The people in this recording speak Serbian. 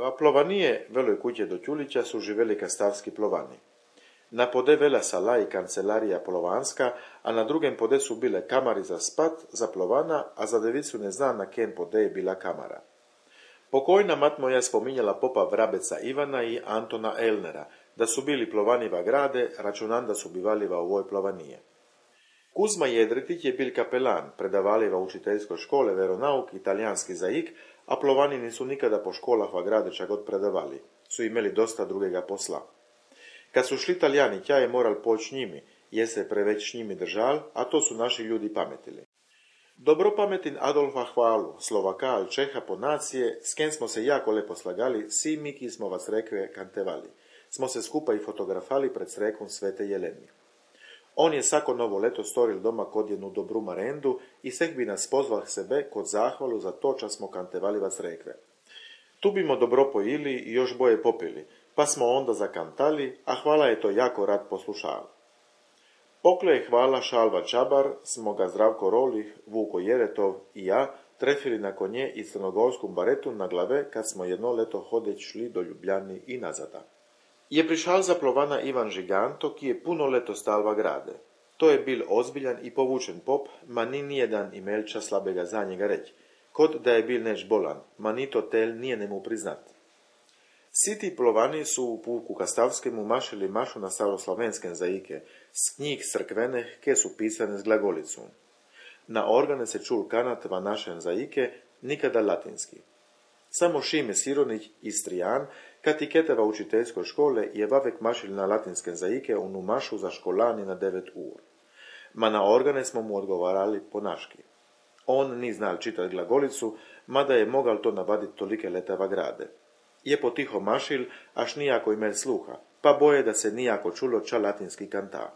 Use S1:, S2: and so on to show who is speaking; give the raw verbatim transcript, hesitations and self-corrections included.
S1: A plovanije veloj kuće do Ćulića su živeli kastavski plovani. Na pode vela sala i kancelarija plovanska, a na drugem pode su bile kamari za spat, za plovana, a za devicu ne zna na ken pode je bila kamara. Pokojna mat moja spominjala popa Vrabeca Ivana i Antona Elnera, da su bili plovaniva grade, računan da su bivaliva u ovoj plovanije. Kuzma Jedretić je bil kapelan, predavaliva u učiteljskoj škole veronauk, italijanski zaik, a plovani nisu nikada po školah va grade čak god predavali, su imeli dosta drugega posla. Kad su šli Italijani, tja je moral poć njimi, je se preveć njimi držal, a to su naši ljudi pametili. Dobro pametin Adolfa Hvalu, Slovaka al Čeha po nacije, s ken smo se jako lepo slagali, si mi ki smo vas rekve kantevali. Smo se skupa i fotografali pred srekom Svete Jeleni. On je sako novo leto storil doma kod jednu dobru marendu i seh bi nas pozval sebe kod zahvalu za to čas smo kantevali vas rekve. Tu bimo dobro pojili i još boje popili, pa smo onda zakantali, a Hvala je to jako rad poslušal. Pokle je Hvala Šalva Čabar, smo ga Zdravko Rolih, Vuko Jeretov i ja trefili na konje i crnogorskom baretu na glave kad smo jedno leto hodeć šli do Ljubljani i nazada. Je prišal za plovana Ivan Žiganto, ki je puno leto stalva grade. To je bil ozbiljan i povučen pop, ma ni nijedan imel ča slabega za njega reć. Kod da je bil neš bolan, ma ni to tel nije nemu priznat. Siti plovani su u puku Kastavskemu mašili mašu na staroslavenskem zaike, s knjig crkveneh, ke su pisane s glagolicom. Na organe se čul kanat va našem zaike, nikada latinski. Samo Šime Sironić, Istrijan, kad i keteva učiteljskoj škole je vavek mašil na latinskem zaike unu mašu za školani na devet ur. Ma na organe smo mu odgovarali po naški. On ni znal čitat glagolicu, mada je mogal to navadit tolike letava grade. Je potiho mašil, až nijako imel sluha, pa boje da se nijako čulo ča latinski kanta.